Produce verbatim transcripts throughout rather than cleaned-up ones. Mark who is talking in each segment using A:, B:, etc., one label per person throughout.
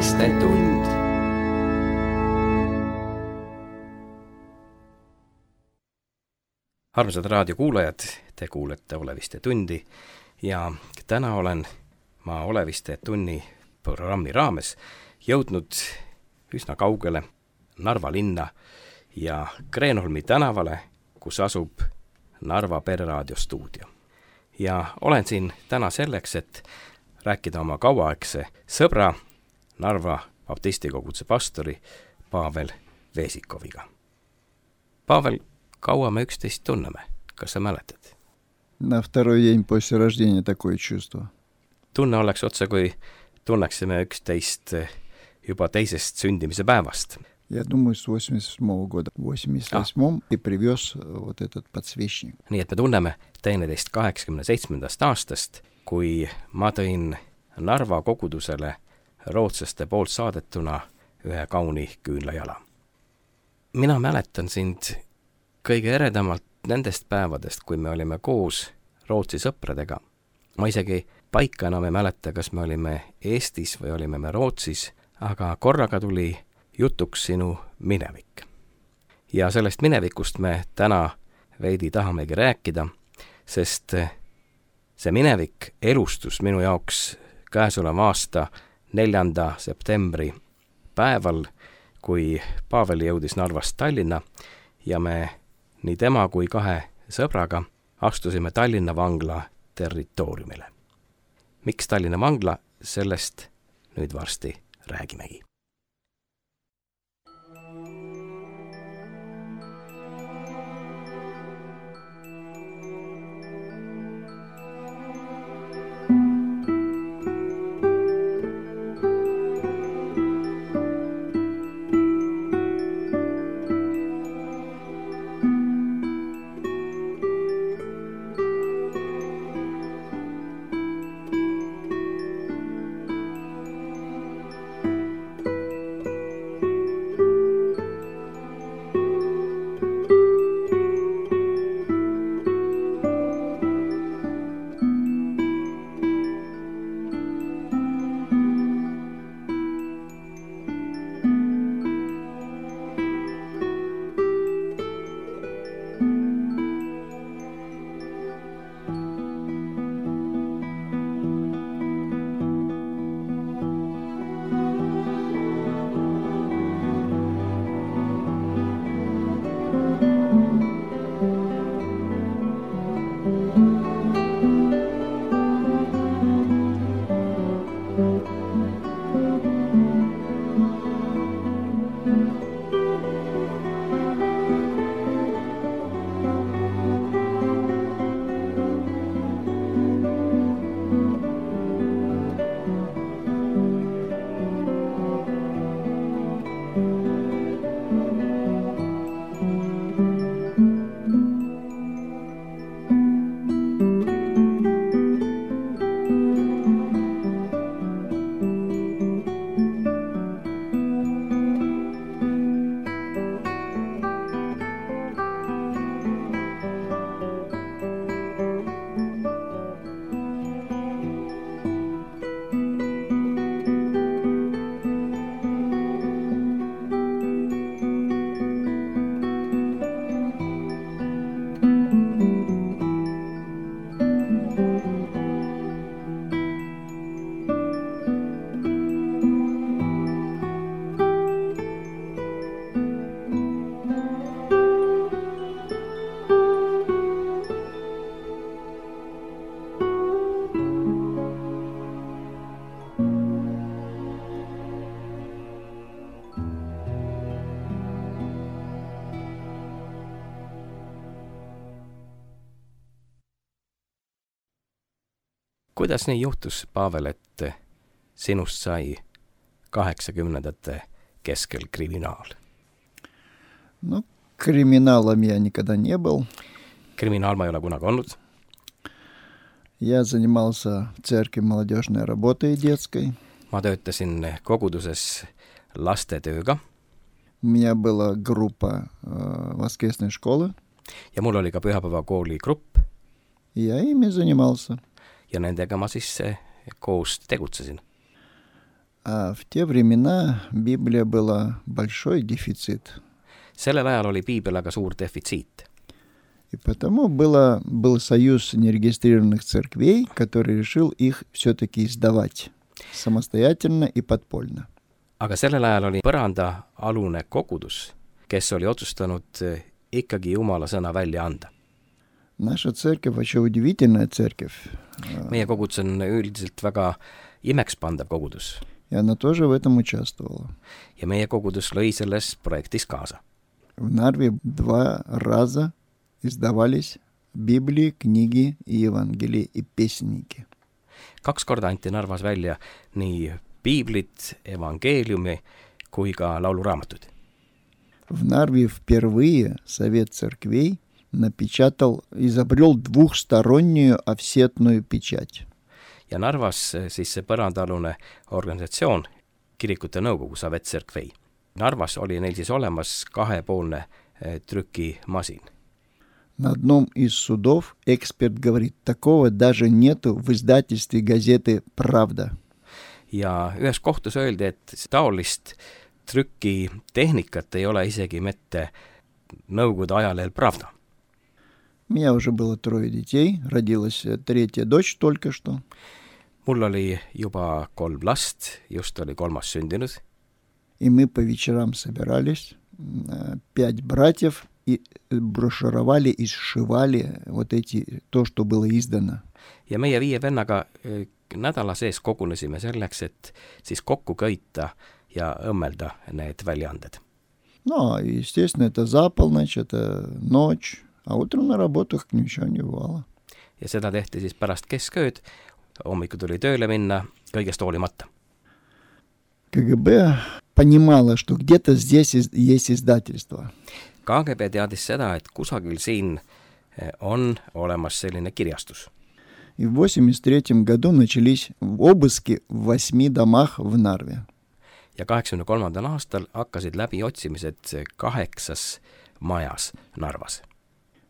A: Oleviste tund. Armsad raadiokuulajad, te kuulete Oleviste tundi ja täna olen ma Oleviste tunni programmi raames jõudnud üsna kaugele Narva linna ja Kreenholmi tänavale, kus asub Narva Pereraadio stuudio. Ja olen siin täna selleks, et rääkida oma kauaaegse sõbra, Narva baptistikoguduse pastori Pavel Vesikoviga. Pavel, kaua me üksteist tunneme? Kas sa mäletad?
B: На второй день после рождения такое чувство.
A: Tunne oleks otse, kui tunneksime üksteist juba teisest sündimise päevast.
B: Я думаю, с восемьдесят седьмого года. В восемьдесят восьмом и привез вот этот подсвечник.
A: Nii et me tunneme teineteist kaheksakümne seitsmendast aastast, kui ma tõin Narva kogudusele rootslaste poolt saadetuna ühe kauni küünlajala. Mina mäletan sind kõige eredamalt nendest päevadest, kui me olime koos Rootsi sõpradega. Ma isegi paika enam ei mäleta, kas me olime Eestis või olime me Rootsis, aga korraga tuli jutuks sinu minevik. Ja sellest minevikust me täna veidi tahamegi rääkida, sest see minevik elustus minu jaoks käesoleva aasta neljanda septembri päeval, kui Pavel jõudis Narvast Tallinna ja me nii tema kui kahe sõbraga astusime Tallinna vangla territooriumile. Miks Tallinna vangla? Sellest nüüd varsti räägimegi. Kuidas nii juhtus, Pavel, et sinust sai kaheksakümnendate keskel kriminaal?
B: Ну, криминалом я никогда не был.
A: Kriminaal ma ei ole kunagi olnud.
B: Я занимался в церкви молодежной работой детской.
A: Ma töötasin koguduses lastetööga.
B: У меня была группа э, воскресной школы.
A: Ja mul oli ka pühapäevakooli grupp.
B: Ja ими занимался.
A: Ja nendega ma siis koos tegutsesin.
B: А в те времена Библия была большой дефицит.
A: sellel ajal oli piibel aga suur defitsiit.
B: И потому было, был союз нерегистрированных церквей, который решил их все-таки издавать самостоятельно и подпольно.
A: aga sellel ajal oli põrandaalune kogudus, kes oli otsustanud ikkagi Jumala sõna välja anda.
B: Наша церковь очень удивительная церковь.
A: meie kogudus on üldiselt väga imekspandav kogudus.
B: И она тоже в этом участвовала.
A: ja meie kogudus lõi selles projektis kaasa.
B: В Нарве два раза издавались Библии, книги и Евангелии и песенники.
A: kaks korda anti Narvas välja nii piiblit, evangeeliumi kui ka lauluraamatud.
B: В Нарве впервые Совет церквей напечатал, изобрел двухстороннюю офсетную печать.
A: ja Narvas siis see põrandaalune organisatsioon, kirikute nõukogu Savet Cerkvei. Narvas oli neil siis olemas kahepoolne trükimasin.
B: На одном из судов эксперт говорит, такого даже нету в издательстве газеты «Правда».
A: ja ühes kohtus öeldi, et taolist trükitehnikat ei ole isegi mitte Nõukogude ajalehel Pravda.
B: У меня уже было трое детей, родилась третья дочь только что.
A: mul oli juba kolm last, just oli kolmas sündinud.
B: И мы по вечерам собирались, пять братьев, и брошюровали и сшивали вот эти, то, что было издано.
A: ja meie viie vennaga nädala sees kogunesime selleks, et siis kokku köita ja õmmelda need väljaanded.
B: Ну, естественно, это за полночь, это ночь, а утром на работу как ничего не бывало.
A: ja seda tehti siis pärast keskööd, hommikul tuli tööle minna, kõigest hoolimata.
B: КГБ понимала, что где-то здесь есть издательство.
A: К G B teadis seda, et kusagil siin on olemas selline kirjastus.
B: И в восемьдесят третьем году начались обыски в восьми домах в Нарве.
A: ja kaheksakümne kolmandal aastal hakkasid läbi otsimised kaheksas majas Narvas.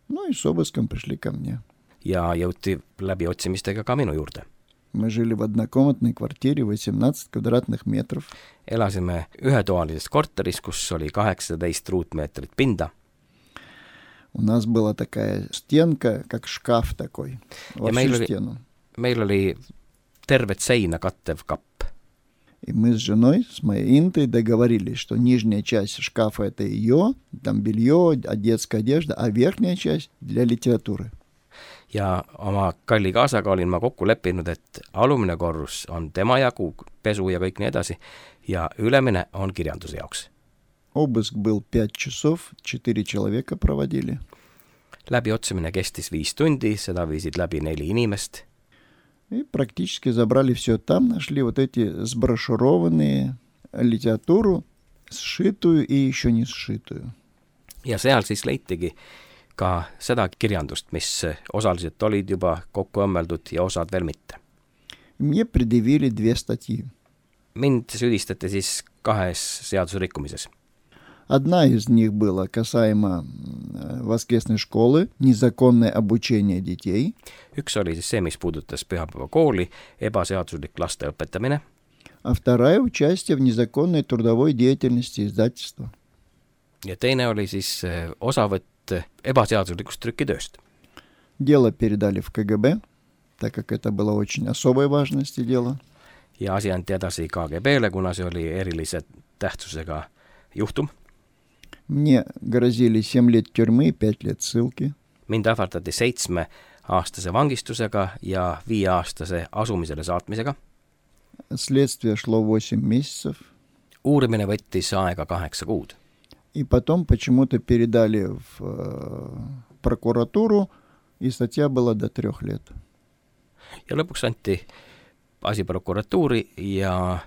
B: Ну и с обыском пришли ко мне.
A: ja jõuti läbi otsimistega ka minu juurde.
B: Мы жили в однокомнатной квартире, восемнадцать квадратных метров.
A: Elasime ühetoalises korteris, kus oli kaheksateist ruutmeetrit pinda.
B: У нас была такая стенка, как шкаф такой, во всю
A: oli,
B: стену.
A: meil oli tervet seina kattev kapp.
B: И мы с женой, с моей Интой договорились, что нижняя часть шкафа это ее, там белье, детская одежда, а верхняя часть для литературы.
A: ja oma kalli kaasaga olin ma kokku leppinud, et alumine korrus on tema jagu, pesu ja kõik nii edasi, ja ülemine on kirjanduse jaoks.
B: Обыск был пять часов, четыре человека проводили.
A: Läbi otsimine kestis viis tundi, seda viisid läbi neli inimest.
B: И практически забрали все. Там нашли вот эти сброшурованные литературу, сшитую и еще не сшитую.
A: ja seal siis leitigi ka seda kirjandust, mis osaliselt olid juba kokku õmmeldud ja osad veel mitte.
B: Мне предъявили две статьи.
A: Mind süüdistati siis kahes seadusrikkumises.
B: Одна из них была касаемо воскресной школы, незаконное обучение детей.
A: Üks oli siis see, mis puudutas pühapäevakooli, ebaseaduslik laste õpetamine.
B: А вторая участие в незаконной трудовой деятельности издательства.
A: ja teine oli siis osavõtt ebaseaduslikust trükitööst.
B: Дело передали в КГБ, так как это было очень особой важности дело.
A: ja asi anti edasi K G B-le, kuna see oli erilise tähtsusega juhtum.
B: Мне грозили семь лет тюрьмы, пять лет ссылки.
A: Mind ähvardati seitsme aastase vangistusega ja viieaastase asumisele saatmisega.
B: Следствие шло восемь месяцев.
A: Uurimine võttis aega kaheksa kuud.
B: И потом почему-то передали в э, прокуратуру, и статья была до трех лет.
A: ja lõpuks anti asi prokuratuuri ja,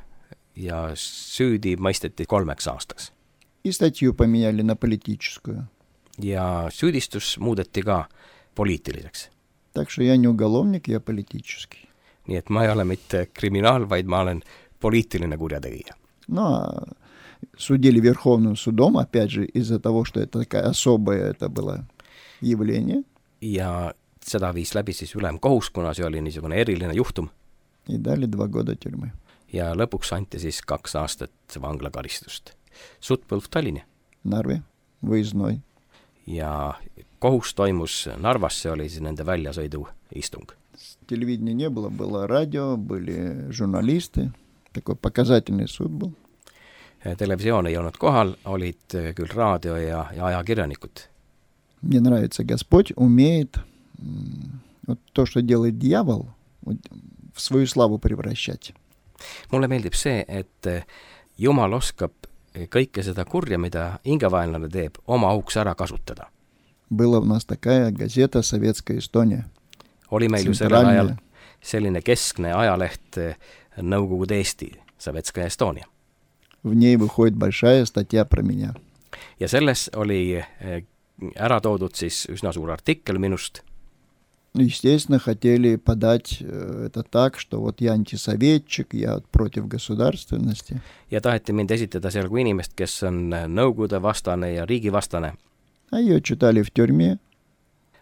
A: ja süüdi mõisteti kolmeks aastaks.
B: И статью поменяли на политическую.
A: ja süüdistus muudeti ka poliitiliseks.
B: Так что я не уголовник, я политический.
A: nii et ma ei ole mitte kriminaal, vaid ma olen poliitiline kurjategija.
B: Но судили Верховным судом, опять же, из-за того, что это такая особое это было явление.
A: ja seda viis läbi siis ülemkohus, kuna see oli niisugune eriline juhtum.
B: И дали два года тюрьмы.
A: ja lõpuks anti siis kaks aastat vanglakaristust. Sutt-Põlv Tallinna.
B: Narve, võisnoi.
A: Ja kohus toimus Narvas, see oli siis nende väljasõidu istung.
B: Телевидения не было, было радио, были журналисты, такой показательный суд был.
A: Televisioon ei olnud kohal, olid küll raadio ja, ja ajakirjanikud.
B: Мне нравится, Господь умеет вот то, что делает дьявол, вот, в свою славу превращать.
A: Mulle meeldib see, et Jumal oskab kõike seda kurja, mida ingavaenlane teeb, oma auks ära kasutada.
B: Была у нас такая газета «Советская Эстония».
A: Oli meil ju sellel ajal selline keskne ajaleht Nõukogude Eesti, Sovetskaja Estonia.
B: В ней выходит большая статья про меня.
A: Ja selles oli ära toodud siis üsna suur artikkel minust.
B: Естественно, хотели подать это так, что вот я антисоветчик, я против государственности.
A: Ja taheti mind esitada seal kui inimest, kes on nõukogude vastane ja riigi vastane.
B: А ее читали в тюрьме.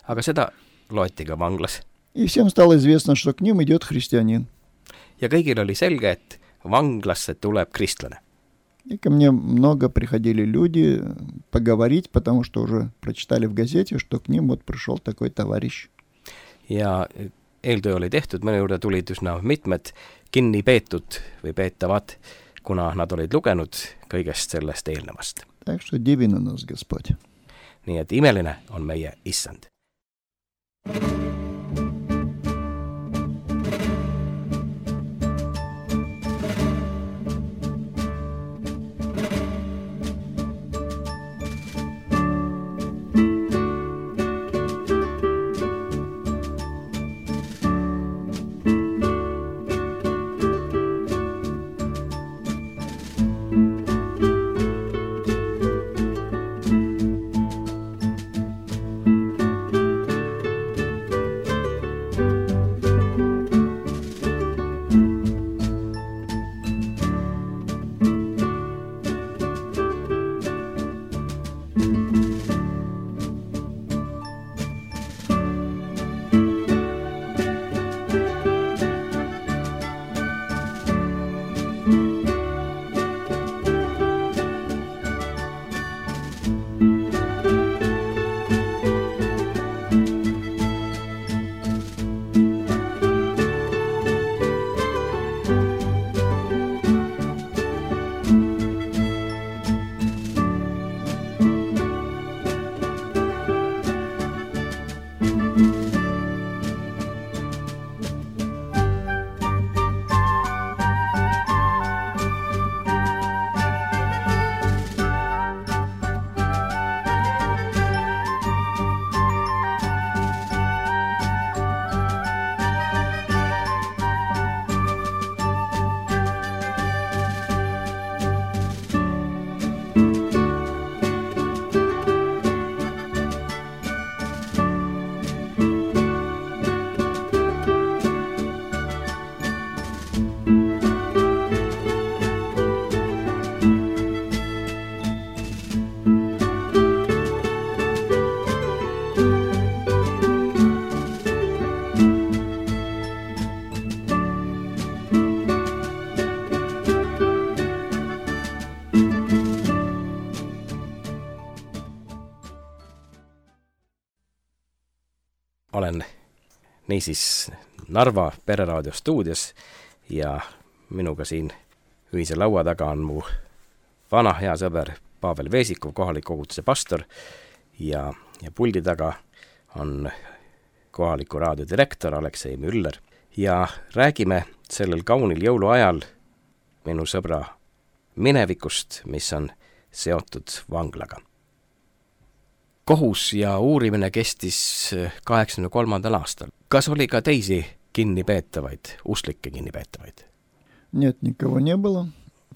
A: Aga seda loeti ka vanglas.
B: И всем стало известно, что к ним идет христианин.
A: Ja kõigil oli selge, et vanglasse tuleb kristlane.
B: И ко мне много приходили люди поговорить, потому что уже прочитали в газете, что к ним вот пришел такой товарищ.
A: Ja eeltöö oli tehtud, minu juurde tulid üsna mitmed kinni peetud või peetavad, kuna nad olid lugenud kõigest sellest eelnevast.
B: Так что дивен у нас Господь.
A: Nii et imeline on meie issand. Olen niisiis Narva Pereraadio stuudios ja minuga siin ühise laua taga on mu vana hea sõber Pavel Veesikov, kohaliku koguduse pastor ja, ja puldi taga on kohaliku raadio direktor Aleksei Müller ja räägime sellel kaunil jõuluajal minu sõbra minevikust, mis on seotud vanglaga. Kohus ja uurimine kestis kaheksakümne kolmandal aastal. Kas oli ka teisi kinnipeetavaid, usklikke kinnipeetavaid?
B: Нет, никого не было.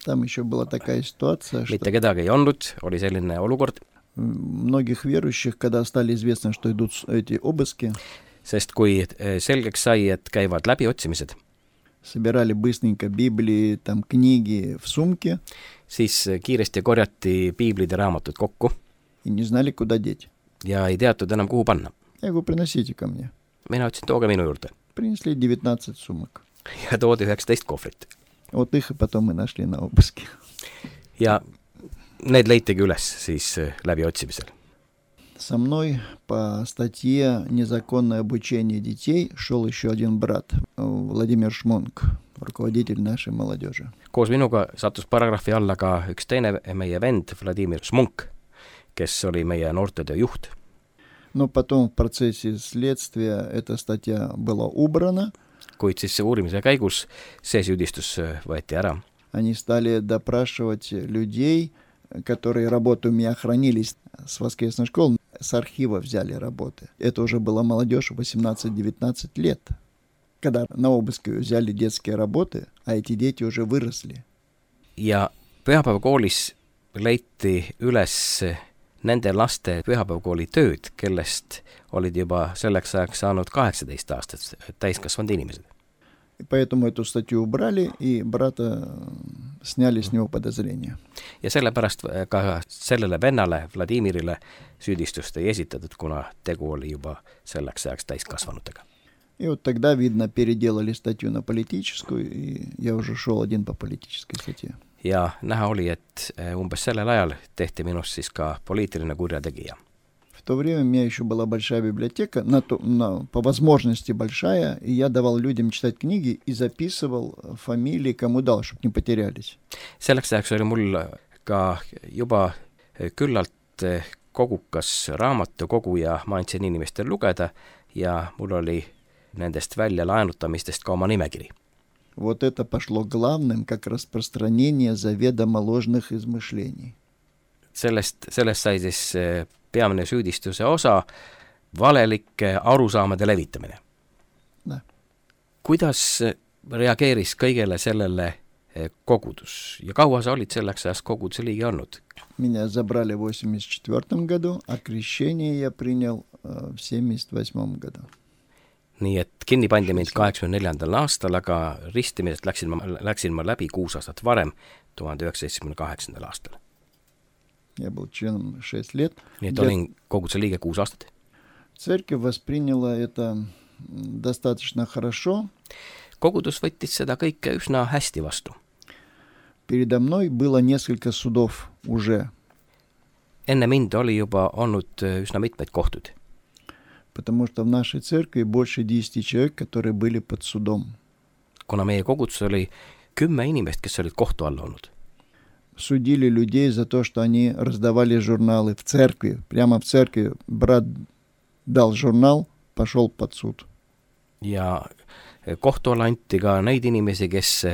B: Там еще была такая ситуация, что...
A: Mitte kedagi ei olnud, oli selline olukord.
B: Многих верующих, когда стали известно, что идут эти обыски,
A: sest kui selgeks sai, et käivad läbiotsimised,
B: собирали быстренько Библии, там книги в сумке,
A: siis kiiresti korjati piiblid ja raamatud kokku
B: и не знали, куда деть.
A: Ja ei teatud enam, kuhu panna.
B: Я говорю, приносите ко мне.
A: Mina ütlesin, tooge minu juurde.
B: Принесли девятнадцать сумок.
A: Ja toodi üheksateist kohvrit.
B: Вот их и потом мы нашли на обыске.
A: Ja need leitigi üles siis läbi otsimisel.
B: Со мной по статье «Незаконное обучение детей» шел еще один брат, Владимир Шмонк, rukovodитель нашей молодежи.
A: Koos minuga sattus paragrahvi alla ka üks teine meie vend, Vladimir Šmunk, kes oli meie noortetöö juht.
B: Но потом в процессе следствия эта статья была убрана.
A: Kuid siis uurimise käigus see süüdistus võeti ära.
B: Они стали допрашивать людей, которые работу у меня хранились с воскресной школы, с архива взяли работы. Это уже была молодежь восемнадцать-девятнадцать лет, когда на обыске взяли детские работы, а эти дети уже выросли.
A: Ja pühapäevakoolis leiti üles nende laste pühapäevakooli tööd, kellest olid juba selleks ajaks saanud kaheksateist aastat täiskasvanud inimesed.
B: И поэтому эту статью убрали, и брата сняли с него подозрения.
A: Ja sellepärast ka sellele vennale, Vladimirile, süüdistust ei esitatud, kuna tegu oli juba selleks ajaks täiskasvanutega.
B: И вот тогда, видно, переделали статью на политическую, и я уже шел один по политической статье.
A: Ja näha oli, et umbes sellel ajal tehti minust siis ka poliitiline kurjategija.
B: В то время у меня еще была большая библиотека, на то, на, по возможности большая, и я давал людям читать книги и записывал фамилии, кому дал, чтобы не потерялись.
A: Selleks ajaks oli mul ka juba küllalt kogukas raamatukogu ja ma andsin inimestel lugeda ja mul oli nendest välja laenutamistest ka oma nimekiri.
B: Вот это пошло главным, как распространение заведомо ложных измышлений.
A: Sellest, sellest sai siis peamine süüdistuse osa valelike arusaamade levitamine.
B: No.
A: Kuidas reageeris kõigele sellele kogudus ja kaua sa olid selleks ajast koguduse liige olnud?
B: Меня забрали в восемьдесят четвёртом году, а крещение я принял в семьдесят восьмом году.
A: Nii et kinni pandi mind kaheksakümne neljandal aastal, aga ristimisest läksin ma, läksin ma läbi kuus aastat varem, tuhande üheksasaja seitsmekümne kaheksandal aastal.
B: Я был членом шесть лет.
A: Nii et olin koguduse liige kuus aastat.
B: Церковь восприняла это достаточно хорошо.
A: Kogudus võttis seda kõike üsna hästi vastu.
B: Передо мной было несколько судов уже.
A: Enne mind oli juba olnud üsna mitmeid kohtud.
B: Потому что в нашей церкви больше десяти человек, которые были под судом.
A: Kuna meie kogudus oli kümme inimest, kes olid kohtu all olnud.
B: Судили людей за то, что они раздавали журналы в церкви. Прямо в церкви брат дал журнал, пошел под суд.
A: Ja kohtu alla anti ka neid inimesi, kes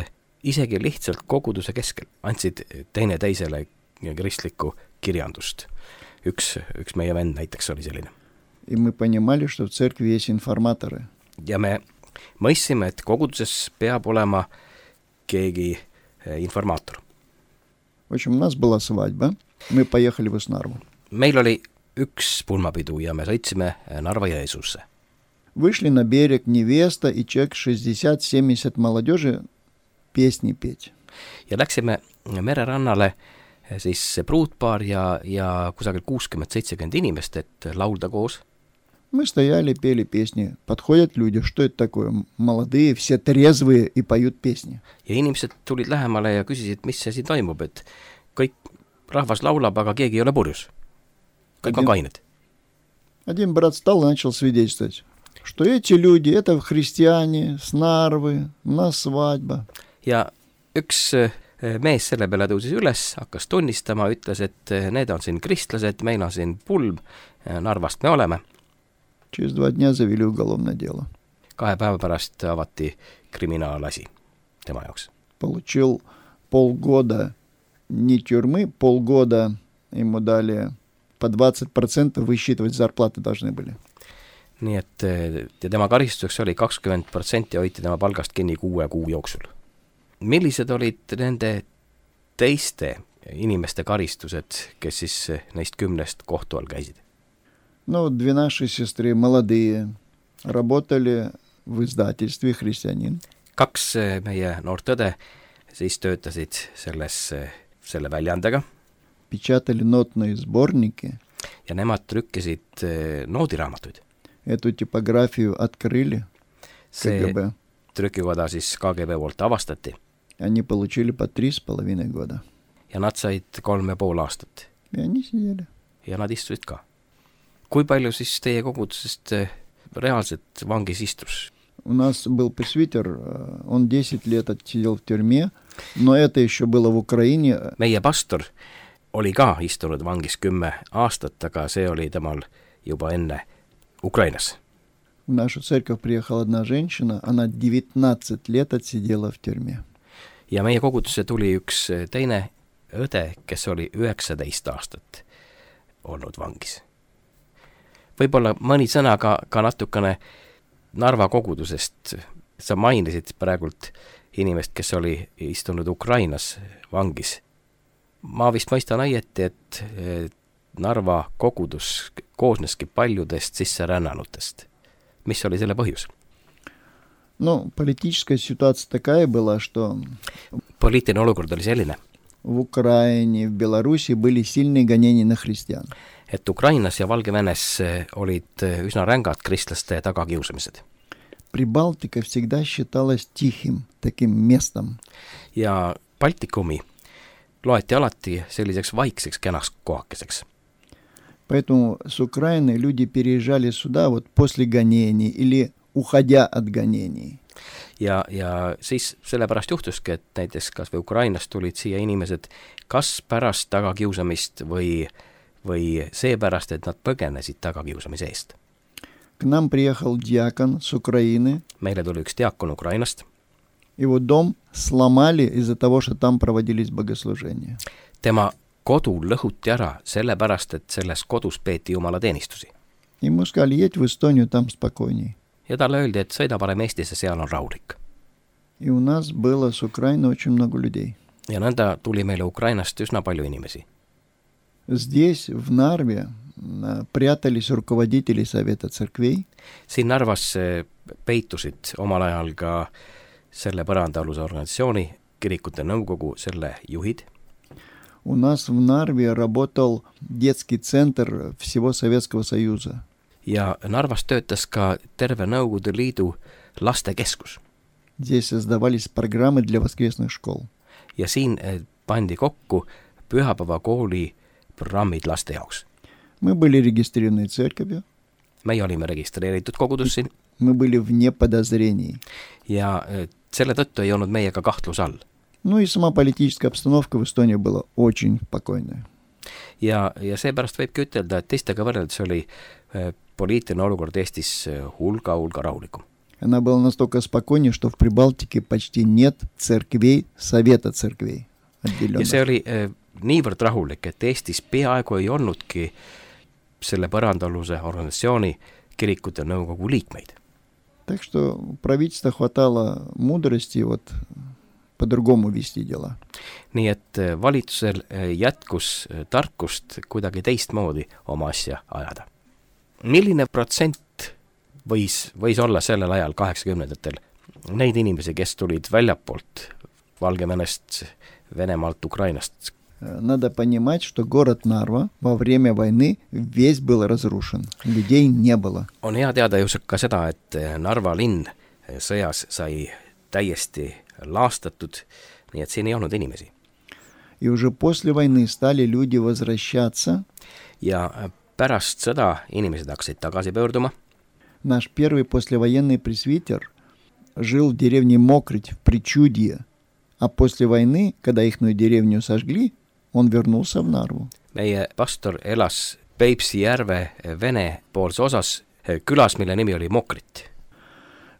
A: isegi lihtsalt koguduse keskel andsid teine teisele kristlikku kirjandust. Üks, üks meie vend näiteks oli selline.
B: И мы понимали, что в церкви есть информаторы.
A: Ja me mõistsime, et koguduses peab olema keegi informaator.
B: В общем, у нас была свадьба. Мы поехали в Снарву.
A: Meil oli üks pulmapidu ja me sõitsime Narva Jõesuusse.
B: Вышли на берег невеста и человек шестьдесят-семьдесят молодежи песни петь.
A: Ja läksime mererannale siis pruutpaar ja, ja kusagil kuuskümmend seitsekümmend inimest, et laulda koos.
B: Мы стояли, пели песни. Подходят люди, что это такое? Молодые, все трезвые и поют песни.
A: Ja inimesed tulid lähemale ja küsisid, mis see siin toimub, et kõik rahvas laulab, aga keegi ei ole purjus. Kõik on kained.
B: Один брат встал и начал свидетельствовать, что эти люди, это христиане, с Нарвы, у нас свадьба.
A: Ja üks mees selle peale tõusis üles, hakkas tunnistama, ütles, et need on siin kristlased, meil on siin pulm, Narvast me oleme.
B: Через два дня завели уголовное дело.
A: Kahe päeva pärast avati kriminaalasi tema jaoks.
B: Получил полгода не тюрьмы, полгода ему дали по двадцать процентов высчитывать зарплаты должны были.
A: Nii et ja tema karistuseks oli kakskümmend protsenti hoiti tema palgast kinni kuue kuu jooksul. Millised olid nende teiste inimeste karistused, kes siis neist kümnest kohtu all käisid?
B: Ну, две наши сестры, молодые, работали в издательстве «Христианин».
A: Kaks meie noort õde siis töötasid selles, selle väljaandega.
B: Печатали нотные сборники.
A: Ja nemad trükkisid noodiraamatuid.
B: Эту типографию открыли
A: See
B: ка гэ бэ.
A: Trükikoda siis K G B poolt avastati.
B: Они получили по три с половиной года.
A: Ja nad said kolm ja pool aastat.
B: И они сидели.
A: Ja nad istusid ka. Kui palju siis teie kogudusest reaalselt vangis istus?
B: У нас был пресвитер, он десять лет отсидел в тюрьме, но это еще было в Украине.
A: Meie pastor oli ka istunud vangis kümme aastat, aga see oli temal juba enne Ukrainas.
B: В нашу церковь приехала одна женщина, она девятнадцать лет отсидела в тюрьме.
A: Ja meie kogudusse tuli üks teine õde, kes oli üheksateist aastat olnud vangis. Võib-olla mõni sõna ka, ka natukene Narva kogudusest. Sa mainisid praegult inimest, kes oli istunud Ukrainas vangis. Ma vist mõistan õieti, et Narva kogudus koosneski paljudest sisserännanutest. Mis oli selle põhjus?
B: Ну, политическая ситуация такая была, что
A: Poliitiline olukord oli selline,
B: в Украине, в Беларуси были сильные гонения на христиан.
A: et Ukrainas ja Valgevenes olid üsna rängad kristlaste tagakiusamised.
B: Прибалтика всегда считалась тихим таким местом.
A: Ja Baltikumi loeti alati selliseks vaikseks kenaks kohakeseks.
B: Поэтому с Украины люди переезжали сюда вот после гонений или уходя от гонений.
A: Ja, ja siis sellepärast juhtuski, et näiteks kas või Ukrainast tulid siia inimesed kas pärast tagakiusamist või, või seepärast, et nad põgenesid tagakiusamise eest.
B: К нам приехал диакон с Украины.
A: Meile tuli üks diakon Ukrainast.
B: Его дом сломали из-за того, что там проводились богослужения.
A: Tema kodu lõhuti ära sellepärast, et selles kodus peeti jumalateenistusi.
B: Ему сказали, едь в Эстонию, там спокойней.
A: Ja talle öeldi, et sõida parem Eestisse, seal on rahulik.
B: И у нас было с Украины очень много людей.
A: Ja nõnda tuli meile Ukrainast üsna palju inimesi.
B: Здесь, в Нарве, прятались руководители Совета церквей.
A: Siin Narvas peitusid omal ajal ka selle põrandaaluse organisatsiooni, kirikute nõukogu, selle juhid.
B: У нас в Нарве работал детский центр всего Советского Союза.
A: Ja Narvas töötas ka terve Nõukogude Liidu lastekeskus.
B: Здесь создавались программы для воскресных школ.
A: Ja siin pandi kokku pühapäevakooli programmid laste jaoks.
B: Мы были регистрированы церковью.
A: Meie olime registreeritud kogudus siin.
B: Мы были вне подозрений.
A: Ja selle tõttu ei olnud meiega kahtlus all.
B: Ну и сама политическая обстановка в Эстонии была очень спокойная.
A: Ja, ja seepärast võibki ütelda, et teistega võrreldes oli poliitiline olukord Eestis hulga, hulga rahulikum.
B: Она была настолько спокойнее, что в Прибалтике почти нет церквей, совета церквей отделенных.
A: Ja see oli eh, niivõrd rahulik, et Eestis peaaegu ei olnudki selle põrandaaluse organisatsiooni kirikute nõukogu liikmeid.
B: Так что правительство хватало мудрости вот по-другому вести дела.
A: Nii et valitsusel jätkus tarkust kuidagi teistmoodi oma asja ajada. Milline protsent võis, võis olla sellel ajal kaheksakümnendatel neid inimesi, kes tulid väljapoolt Valgevenest, Venemaalt, Ukrainast?
B: Надо понимать, что город Нарва во время войны весь был разрушен. Людей не было.
A: On hea teada ju ka seda, et Narva linn sõjas sai täiesti laastatud, nii et siin ei olnud inimesi.
B: И уже после войны стали люди возвращаться.
A: Ja pärast sõda inimesed hakkasid tagasi pöörduma.
B: Наш первый послевоенный пресвитер жил в деревне Мокрыть в Причудье, а после войны, когда ихную деревню сожгли, он вернулся в Нарву.
A: Meie pastor elas Peipsi järve Vene poolse osas külas, mille nimi oli Mokrit.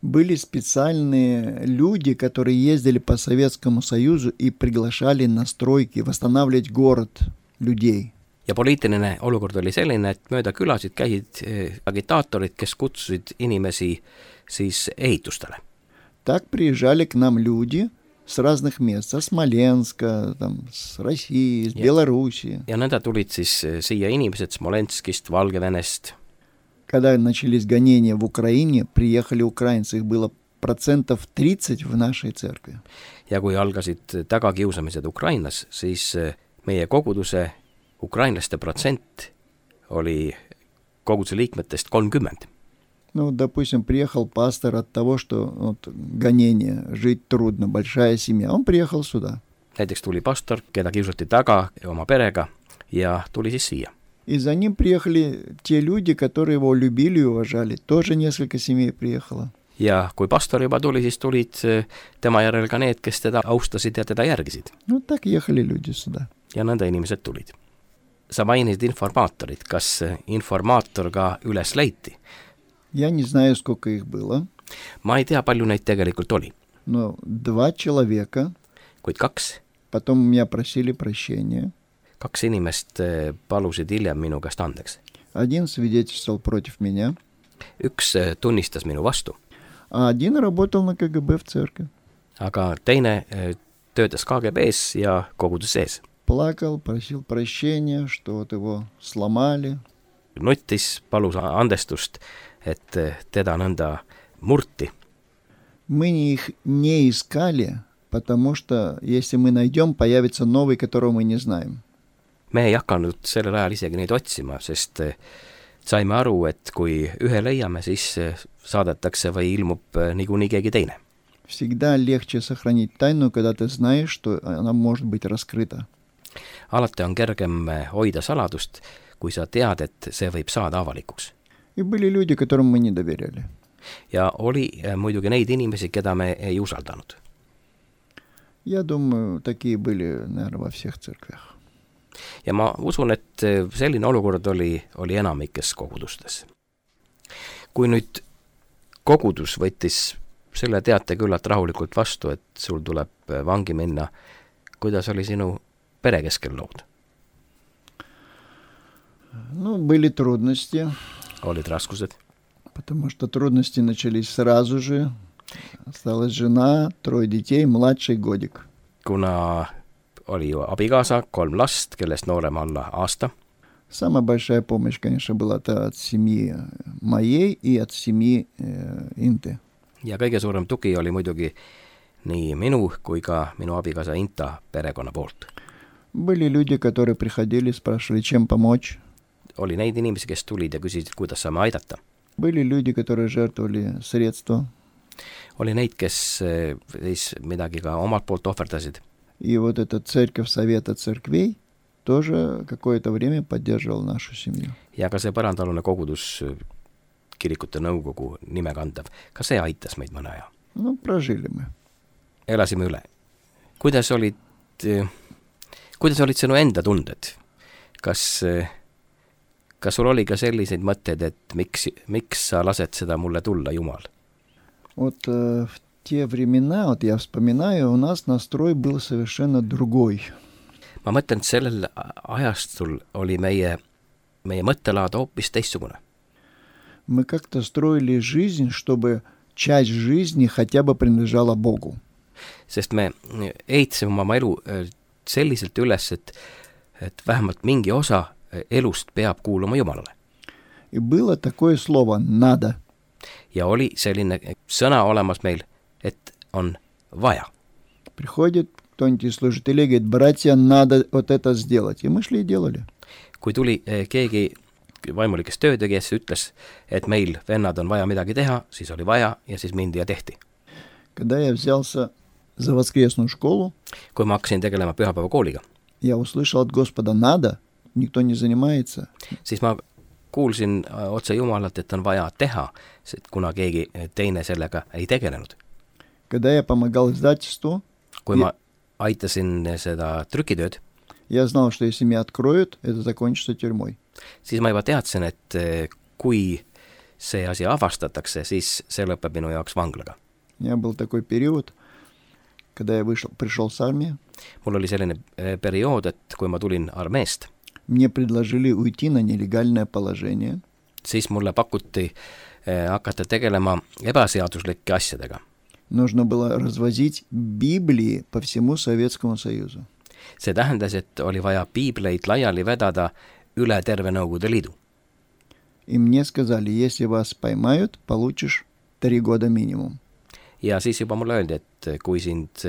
B: Были специальные люди, которые ездили по Советскому Союзу и приглашали на стройки, восстанавливать город людей.
A: Ja poliitiline olukord oli selline, et mööda külasid käisid agitaatorid, kes kutsusid inimesi siis ehitustele.
B: Так приезжали к нам люди с разных мест, со Смоленска, там, с России, с Белоруссии.
A: Ja nõnda tulid siis siia inimesed Smolenskist, Valgevenest.
B: Когда начались гонения в Украине, приехали украинцы, их было процентов тридцать в нашей церкви.
A: Ja kui algasid tagakiusamised Ukrainas, siis meie koguduse ukrainlaste protsent oli koguduse liikmetest kolmkümmend.
B: Ну, допустим, приехал пастор от того, что вот, гонение, жить трудно, большая семья. Он приехал сюда.
A: Näiteks tuli pastor, keda kiusati taga oma perega ja tuli siis siia.
B: И за ним приехали те люди, которые его любили и уважали. Тоже несколько семей приехало.
A: Ja kui pastor juba tuli, siis tulid tema järel ka need, kes teda austasid ja teda järgisid.
B: Ну, так ехали люди сюда.
A: Ja nõnda inimesed tulid. Sa mainisid informaatorit. Kas informaator ka üles leiti?
B: Я не знаю, сколько их было.
A: Ma ei tea, palju neid tegelikult oli.
B: Но два человека.
A: Kuid kaks.
B: Потом меня просили прощения.
A: Kaks inimest palusid hiljem minu käest andeks.
B: Один свидетельствовал против меня.
A: Üks tunnistas minu vastu.
B: А один работал на КГБ в церкви.
A: Aga teine töötas K G B-s ja kogudus sees.
B: Плакал, просил прощения, что вот его сломали.
A: Nuttis, palus andestust, et teda nõnda murti.
B: Мы их не искали, потому что если мы найдем, появится новый, которого мы не знаем.
A: Me ei hakanud sellel ajal isegi neid otsima, sest saime aru, et kui ühe leiame, siis saadetakse või ilmub niikuinii keegi teine.
B: Всегда легче сохранить тайну, когда ты знаешь, что она может быть раскрыта.
A: Alati on kergem hoida saladust, kui sa tead, et see võib saada avalikuks.
B: И были люди, которым мы не доверяли.
A: Ja oli muidugi neid inimesi, keda me ei usaldanud.
B: Я думаю, такие были, наверное, во всех церквях.
A: Ja ma usun, et selline olukord oli, oli enamikes kogudustes. Kui nüüd kogudus võttis selle teate küllalt rahulikult vastu, et sul tuleb vangi minna, kuidas oli sinu pere keskel lood?
B: Ну, были трудности.
A: Olid raskused.
B: Потому что трудности начались сразу же. Осталась жена, трое детей, младший годик.
A: Kuna oli ju abikaasa, kolm last, kellest noorem alla aasta.
B: Самая большая помощь, конечно, была от семьи моей и от семьи э, Инты.
A: Ja kõige suurem tugi oli muidugi nii minu kui ka minu abikaasa Inta perekonna poolt.
B: Были люди, которые приходили, спрашивали, чем помочь.
A: Oli neid inimesi, kes tulid ja küsisid, kuidas saame aidata.
B: Были люди, которые жертвовали средства.
A: Oli neid, kes siis midagi ka omalt poolt ohverdasid.
B: И вот эта церковь Совета церквей тоже какое-то время поддерживала нашу семью.
A: Ja ka see põrandaalune kogudus, kirikute nõukogu nime kandav, ka see aitas meid mõne aja.
B: No, прожили мы.
A: Elasime üle. Kuidas olid, kuidas olid sinu enda tunded? Kas, kas sul oli ka selliseid mõtteid, et miks, miks sa lased seda mulle tulla, Jumal?
B: Вот э, в те времена, вот я вспоминаю, у нас настрой был совершенно другой.
A: Ma mõtlen, et sellel ajastul oli meie, meie mõttelaad hoopis teistsugune.
B: Мы как-то строили жизнь, чтобы часть жизни хотя бы принадлежала Богу.
A: Sest me ehitasime oma elu selliselt üles, et, et vähemalt mingi osa elust peab kuuluma Jumalale.
B: И было такое слово «надо».
A: Ja oli selline sõna olemas meil, et on vaja.
B: Приходит кто-нибудь из служителей, говорит, братья, надо вот это сделать. И мы шли и делали.
A: Kui tuli keegi vaimulikest töötegijast ütles, et meil vennad on vaja midagi teha, siis oli vaja ja siis mindi ja tehti.
B: Когда я взялся за воскресную школу,
A: kui ma hakkasin tegelema pühapäeva kooliga,
B: я услышал от Господа «надо», никто не занимается.
A: Siis ma kuulsin otse Jumalalt, et on vaja teha, kuna keegi teine sellega ei tegelenud.
B: Когда я помогал издательству,
A: kui ma aitasin seda trükitööd,
B: я знал, что если меня откроют, это закончится тюрьмой.
A: Siis ma juba teadsin, et kui see asi avastatakse, siis see lõpeb minu jaoks vanglaga.
B: У меня был такой период, когда я вышел, пришел с армии.
A: Mul oli selline periood, et kui ma tulin armeest,
B: мне предложили уйти на нелегальное положение.
A: Siis mulle pakuti hakata tegelema ebaseaduslike asjadega.
B: Нужно было развозить Библии по всему Советскому Союзу.
A: See tähendas, et oli vaja piibleid laiali vedada üle terve Nõukogude Liidu.
B: И мне сказали, если вас поймают, получишь три года минимум.
A: Ja siis juba mulle öeldi, et kui sind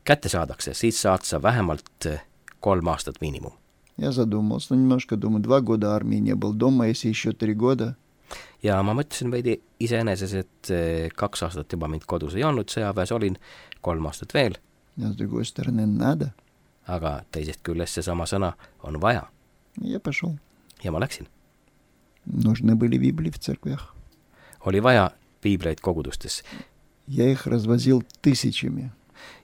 A: kätte saadakse, siis saad sa vähemalt kolm aastat miinimum.
B: Я задумался немножко, думаю, два года армии не был дома, если еще три года.
A: ja ma mõtlesin veidi iseeneses, et kaks aastat juba mind kodus ei olnud, sõjaväes olin, kolm aastat veel.
B: Ja с другой стороны, надо.
A: Aga teisest küljest seesama sõna on vaja.
B: Я пошел.
A: Ja ma läksin.
B: Нужны были Библии в церквях.
A: Oli vaja piibleid kogudustes.
B: Я их развозил тысячами.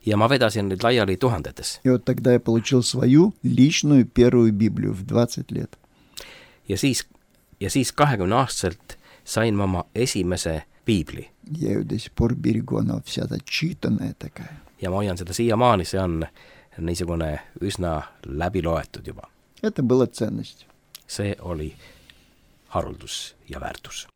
A: Ja ma vedasin neid laiali tuhandetes.
B: И вот тогда я получил свою личную первую Библию в двадцать лет.
A: Ja siis, ja siis kahekümne aastaselt sain ma oma esimese piibli.
B: Я ее до сих пор берегу, она вся зачитанная такая.
A: Ja ma hoian seda siiamaani, see on niisugune üsna läbi loetud juba.
B: Это была ценность.
A: See oli haruldus ja väärtus.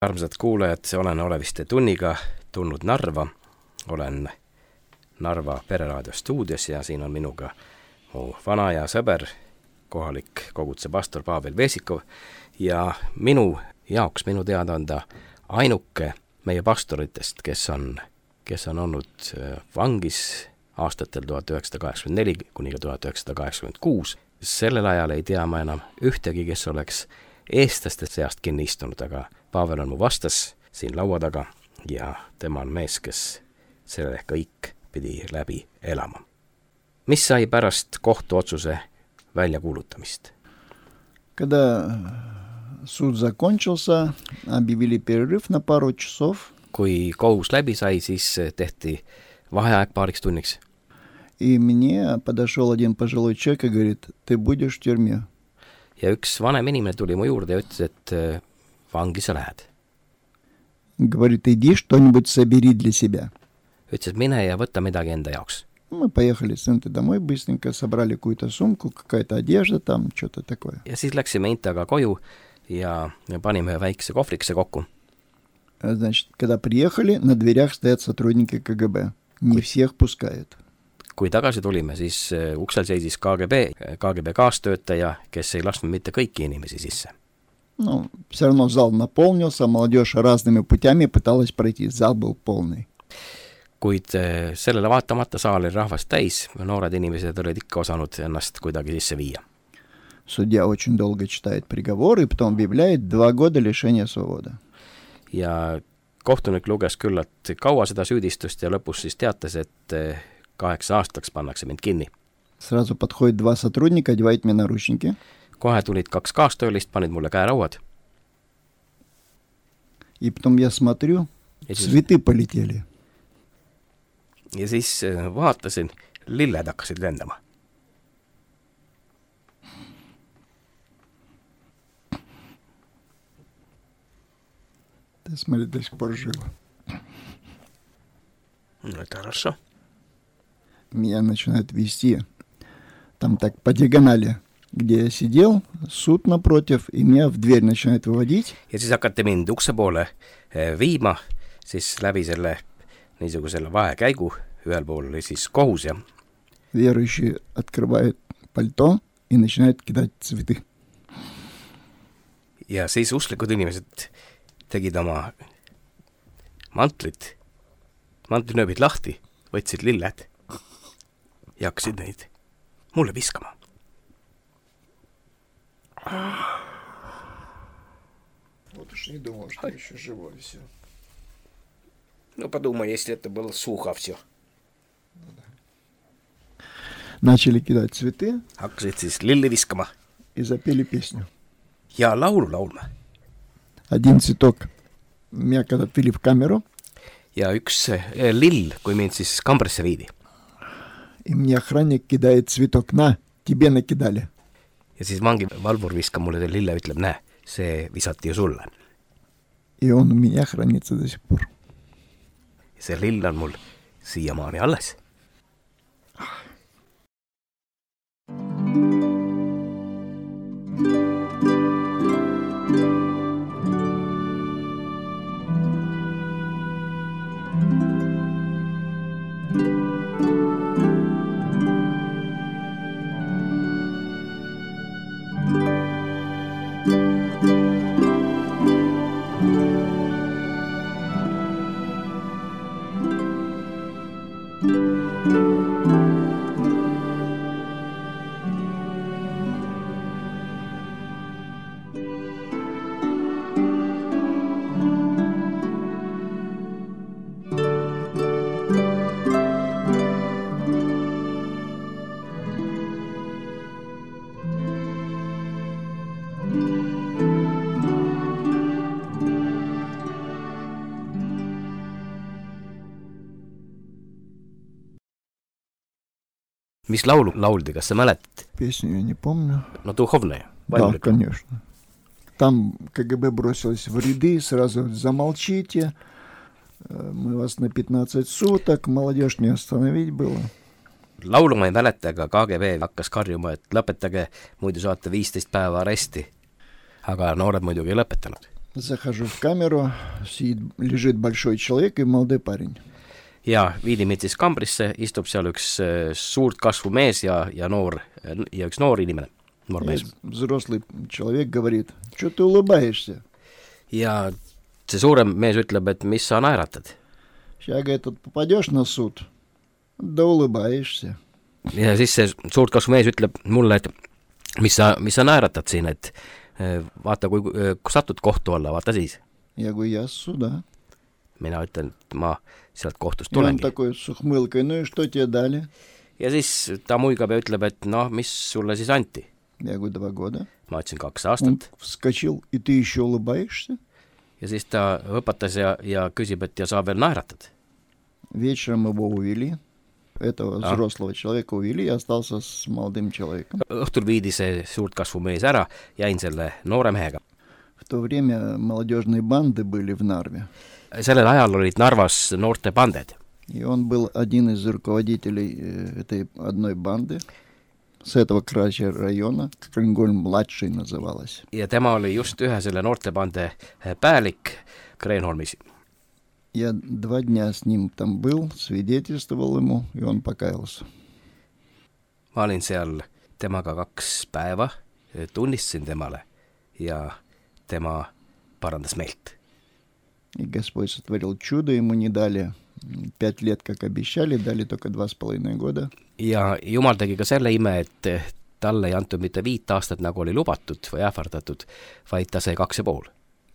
A: Armsad kuulajad, olen Oleviste tunniga tulnud Narva. Olen Narva Pereraadio stuudios ja siin on minuga mu vana ja sõber, kohalik koguduse pastor Pavel Vesikov. Ja minu jaoks, minu teada on ta ainuke meie pastoritest, kes on, kes on olnud vangis aastatel tuhat üheksasada kaheksakümmend neli kuni tuhat üheksasada kaheksakümmend kuus. Sellel ajal ei tea ma enam ühtegi, kes oleks eestlaste seast kinni istunud, aga Pavel on mu vastas siin laua taga ja tema on mees, kes selle kõik pidi läbi elama. Mis sai pärast kohtuotsuse väljakuulutamist?
B: Когда суд закончился, объявили перерыв на пару часов.
A: Kui kohus läbi sai, siis tehti vaheaeg paariks tunniks.
B: И мне подошел один пожилой человек и говорит, ты будешь в тюрьме.
A: Ja üks vanem inimene tuli mu juurde ja ütles, et vangi sa lähed.
B: Говорит, иди что-нибудь собери для себя.
A: Ütles, et mine ja võtta midagi enda jaoks.
B: Мы поехали с Интой домой быстренько, собрали какую-то сумку, какая-то одежда там, что-то такое.
A: Ja siis läksime Intaga koju ja panime ühe väikse kohvrikese kokku.
B: Значит, когда приехали, на дверях стоят сотрудники КГБ. Не всех пускают.
A: Kui tagasi tulime, siis uksel seisis KGB, KGB kaastöötaja, kes ei lasknud mitte kõiki inimesi sisse.
B: Ну, все равно зал наполнился, молодежь разными путями пыталась пройти, зал был полный.
A: Kuid sellele vaatamata saal oli rahvast täis, noored inimesed olid ikka osanud ennast kuidagi sisse viia.
B: Судья очень долго читает приговор и потом объявляет два года лишения свободы.
A: Ja kohtunik luges küllalt kaua seda süüdistust ja lõpus siis teatas, et kaheksa aastaks pannakse mind kinni.
B: Сразу подходит два сотрудника, одевают мне наручники.
A: Kohe tulid kaks kaastöölist, panid mulle käerauad.
B: И потом я смотрю, цветы полетели.
A: Ja siis vaatasin, lilled hakkasid lendama.
B: Ты смотри, до сих пор жива.
A: No, это хорошо.
B: Меня начинают вести там так по диагонали, где я сидел, суд напротив, и меня в дверь начинают выводить.
A: Ja siis hakati mind ukse poole viima, siis läbi selle niisugusele vahekäigu, ühel pool oli siis kohus ja
B: Верующие открывают пальто и начинают кидать цветы.
A: ja siis usklikud inimesed tegid oma mantlit, mantlinööbid lahti, võtsid lilled ja hakkasid neid mulle viskama.
B: Вот уж не думал, что еще живой все.
A: No подумай, если это было сухо все.
B: Начали кидать цветы.
A: Hakkasid siis lilli viskama.
B: И запели песню.
A: Ja laulu laulma.
B: Один цветок меня когда отвели в камеру.
A: Ja üks lill, kui mind siis kambrisse viidi.
B: И мне охранник кидает цветок. На, тебе накидали.
A: Ja siis vangi valvur viskab mulle lille, ütleb, näe, see visati ju sulle.
B: И он у меня хранится до сих пор.
A: See lill on mul siiamaani alles. Mis laulu lauldi, kas sa mäletad?
B: Песню я не помню.
A: No духовная.
B: Да, конечно. Там КГБ бросилось в ряды, сразу замолчите, мы вас на пятнадцать суток, молодежь не остановить было.
A: Laulu ma ei mäleta, aga KGB hakkas karjuma, et lõpetage, muidu saate viisteist päeva aresti. Aga noored muidugi ei lõpetanud.
B: Захожу в камеру, сидит, лежит большой человек и молодой парень.
A: Ja viidi mind siis kambrisse, istub seal üks suurt kasvu mees ja, ja, noor, ja üks noor inimene, noor mees.
B: Взрослый человек говорит, что ты улыбаешься?
A: Ja see suurem mees ütleb, et mis sa naeratad?
B: Сейчас, говорит, попадешь на суд, да улыбаешься.
A: Ja siis see suurt kasvu mees ütleb mulle, et mis sa, mis sa naeratad siin, et vaata, kui, kui satud kohtu alla, vaata siis.
B: Я говорю, я с суда.
A: Mina ütlen, et ma sealt kohtust
B: И он
A: tulengi.
B: такой с ухмылкой, ну и что тебе дали?
A: Ja siis ta muigab ja ütleb, et noh, mis sulle siis anti?
B: Я говорю, два года.
A: Ma ütlesin kaks
B: Он
A: aastat.
B: вскочил, и ты еще улыбаешься?
A: Ja siis ta õpetas ja, ja küsib, et ja sa veel naeratad.
B: Вечером его увели, этого
A: А.
B: взрослого человека увели, и остался с молодым человеком.
A: Õhtul viidi see suurt kasvu mees ära, jäin selle noore mehega.
B: В то время молодежные банды были в Нарве.
A: Sellel ajal olid Narvas noorte banded.
B: И он был один из руководителей этой одной банды, с этого края района, Kreenholm-младший называлась.
A: Ja tema oli just ühe selle noortebande päälik Kreenholmis.
B: Я два дня с ним там был, свидетельствовал ему, и он покаялся.
A: Ma olin seal temaga kaks päeva, tunnistasin temale ja tema parandas meelt.
B: И Господь сотворил чудо, ему не дали пять лет, как обещали, дали только два с половиной года.
A: Ja Jumal tegi ka selle ime, et talle ei antud mitte viit aastat, nagu oli lubatud või ähvardatud, vaid ta sai kaks ja pool.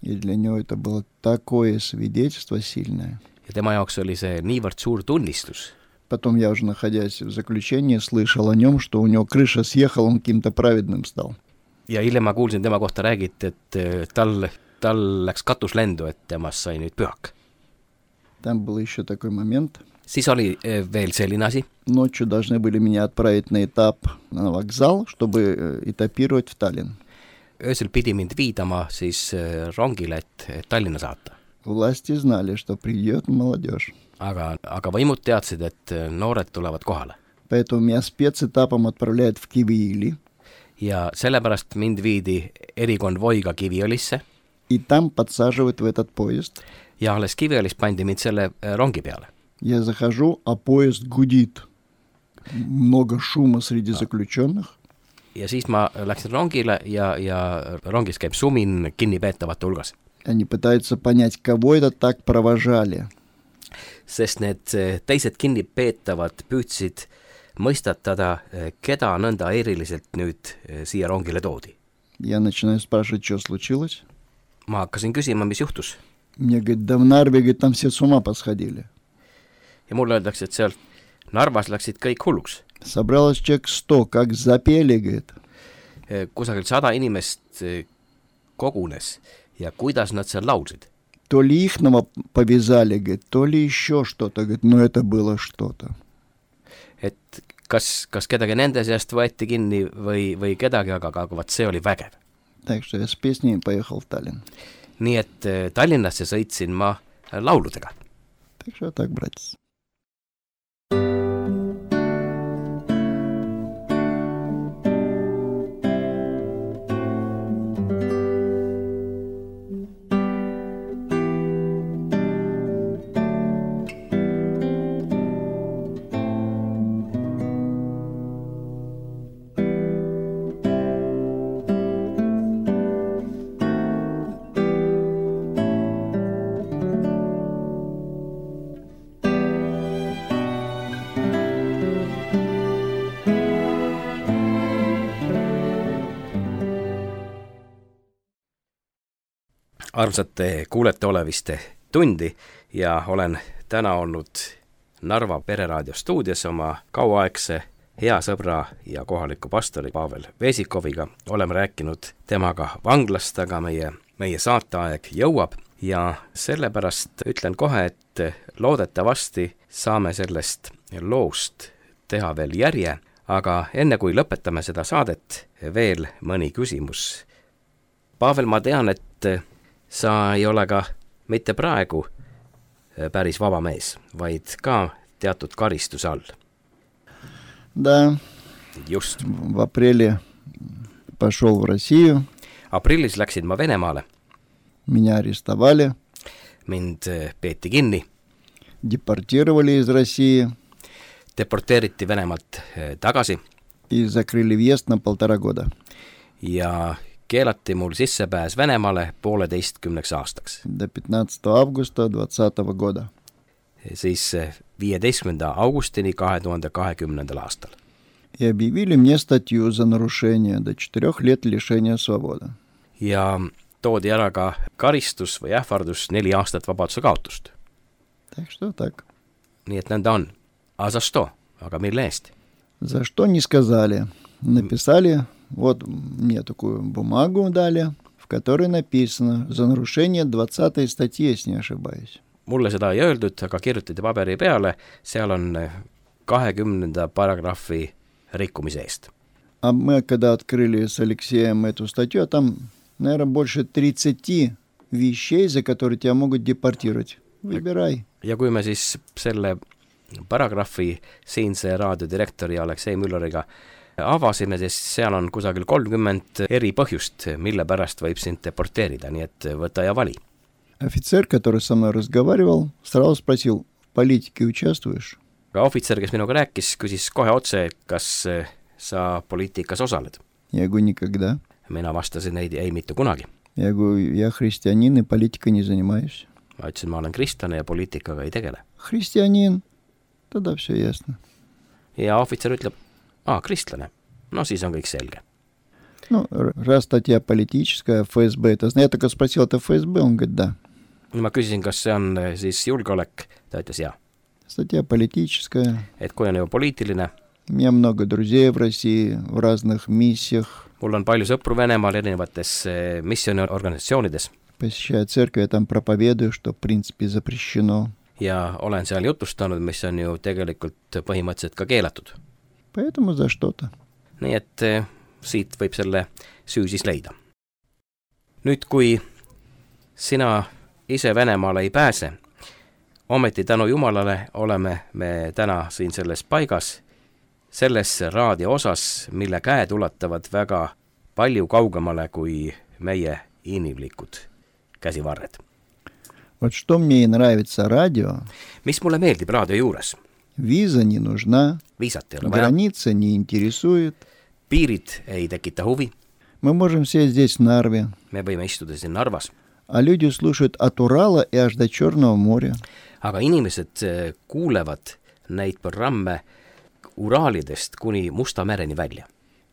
B: И для него это было такое свидетельство сильное.
A: Ja tema jaoks oli see niivõrd suur tunnistus.
B: Потом я уже, находясь в заключении, слышал о нем, что у него крыша съехала, он каким-то праведным стал.
A: Ja hiljem ma kuulsin tema kohta räägiti, et tal, tal läks katus lendu, et temast sai nüüd pühak.
B: Там был еще такой момент.
A: Siis oli veel selline asi.
B: Ночью должны были меня отправить на этап на вокзал, чтобы этапировать в Таллин.
A: Öösel pidi mind viidama siis rongile, et Tallinna saata.
B: Власти знали, что придет молодежь.
A: Aga, aga võimud teadsid, et noored tulevad kohale.
B: Поэтому меня спецэтапом отправляют в Кивиили.
A: Ja sellepärast mind viidi erikonvoiga Kiviõlisse.
B: И там подсаживают в этот поезд.
A: Ja alles Kiviõlis pandi mind selle rongi peale.
B: Я захожу, а поезд гудит. Много шума среди заключенных.
A: Ja siis ma läksin rongile ja, ja rongis käib sumin kinnipeetavate hulgas.
B: Они пытаются понять, кого это так провожали.
A: Sest need teised kinnipeetavad püüdsid mõistatada, keda nõnda eriliselt nüüd siia rongile toodi.
B: Я начинаю спрашивать, что случилось.
A: Ma hakkasin küsima, mis juhtus.
B: Мне говорят, да в Нарве, говорит, там все с ума посходили.
A: Ja mulle öeldakse, et sealt Narvas läksid kõik hulluks.
B: Собралось человек сто, как запели, говорит.
A: Kusagil sada inimest kogunes ja kuidas nad seal laulsid.
B: То ли ихного повязали, говорит, то ли еще что-то, говорит, но это было что-то.
A: Et kas, kas kedagi nende seast võeti kinni või, või kedagi, aga, aga vaat see oli vägev.
B: Так что я с песней поехал в Таллин.
A: Nii et Tallinnasse sõitsin ma lauludega.
B: Так что так, братец. Armsad kuulete oleviste tundi ja olen täna olnud Narva Pereraadio stuudios oma kauaaegse hea sõbra ja kohaliku pastori Pavel Vesikoviga. Oleme rääkinud temaga vanglast, aga meie, meie saateaeg jõuab ja sellepärast ütlen kohe, et loodetavasti saame sellest loost teha veel järje, aga enne kui lõpetame seda saadet, veel mõni küsimus. Pavel, ma tean, et sa ei ole ka mitte praegu päris vaba mees, vaid ka teatud karistuse all. Да.
A: Just.
B: В апреле пошел в Россию.
A: Aprillis läksin ma Venemaale.
B: Меня арестовали.
A: Mind peeti kinni.
B: Депортировали из России.
A: Deporteeriti Venemaalt tagasi.
B: И закрыли въезд на полтора года.
A: Ja keelati mul sissepääs Venemaale pooleteistkümneks aastaks.
B: До пятнадцатого августа двадцатого года.
A: Siis viieteistkümnenda augustini kahe tuhande kahekümnendal aastal.
B: И объявили мне статью за нарушение до четырех лет лишения свободы.
A: Ja toodi ära ka karistus või ähvardus neli aastat vabaduse kaotust.
B: Так что так.
A: Nii et nõnda on. A za što? Aga mille eest?
B: За что не сказали. Написали, вот мне такую бумагу дали, в которой написано за нарушение двадцатой статьи, если не ошибаюсь.
A: Mulle seda ei öeldud, aga kirjutati paberi peale, seal on kahekümnenda paragrahvi rikkumise eest.
B: А мы, когда открыли с Алексеем эту статью, там, наверное, больше тридцати вещей, за которые тебя могут депортировать. Выбирай.
A: Ja kui me siis selle paragrahvi siinse raadiodirektori Aleksei Mülleriga avasime, siis seal on kusagil kolmkümmend eri põhjust, mille pärast võib sind deporteerida, nii et võta ja vali.
B: Офицер, который со мной разговаривал, сразу спросил, в политике участвуешь?
A: Aga ohvitser, kes minuga rääkis, küsis kohe otse, kas sa poliitikas osaled.
B: Я говорю, никогда.
A: Mina vastasin, ei, ei mitte kunagi.
B: Я говорю, я христианин и политикой не занимаюсь.
A: Ma ütlesin, ma olen kristlane ja poliitikaga ei tegele.
B: Христианин, тогда все ясно.
A: Ja ohvitser ütleb, aa, kristlane. no siis on kõik selge.
B: Ну, раз статья политическая, эф эс бэ, это, я только спросил, это эф эс бэ, он говорит, да.
A: Ma küsisin, kas see on siis julgeolek, ta ütles jah.
B: Статья политическая.
A: Et kui on juba poliitiline.
B: У меня много друзей в России, в разных миссиях.
A: Mul on palju sõpru Venemaal erinevates missiooniorganisatsioonides.
B: Посещаю церковь, я там проповедую, что в принципе запрещено.
A: Ja olen seal jutustanud, mis on ju tegelikult põhimõtteliselt ka keelatud.
B: Поэтому за что-то.
A: Nii et siit võib selle süü siis leida. Nüüd, kui sina ise Venemaale ei pääse, ometi tänu Jumalale oleme me täna siin selles paigas, selles raadio osas, mille käed ulatavad väga palju kaugemale kui meie inimlikud käsivarred.
B: Вот что мне и нравится радио.
A: Mis mulle meeldib raadio juures?
B: Виза не нужна,
A: Viisat ei ole vaja,
B: граница не интересует.
A: piirid ei tekita huvi,
B: Мы можем сесть здесь в Нарве,
A: me võime istuda siin Narvas,
B: а люди слушают от Урала и аж до Черного моря.
A: aga inimesed kuulevad neid programme Uraalidest kuni Musta mereni välja.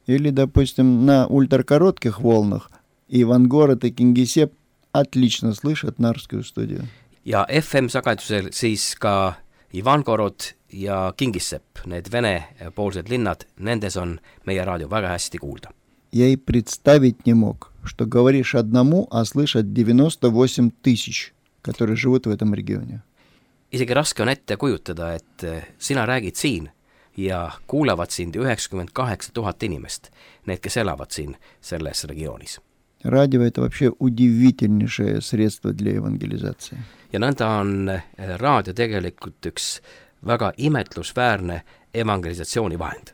B: Или, допустим, на ультракоротких волнах Ивангород и Кингисепп отлично слышат Нарвскую студию.
A: Ja эф эм-sagedusel siis ka Ivangorod ja Kingissepp, need Vene-poolsed linnad, nendes on meie raadio väga hästi kuulda.
B: Я и представить не мог, что говоришь одному, а слышат девяносто восемь тысяч, которые живут в этом регионе.
A: Isegi raske on ette kujutada, et sina räägid siin ja kuulevad sind üheksakümmend kaheksa tuhat inimest, need, kes elavad siin selles regioonis.
B: Радио – это вообще удивительнейшее средство для евангелизации.
A: Ja nõnda on raadio tegelikult üks väga imetlusväärne evangelisatsiooni vahend.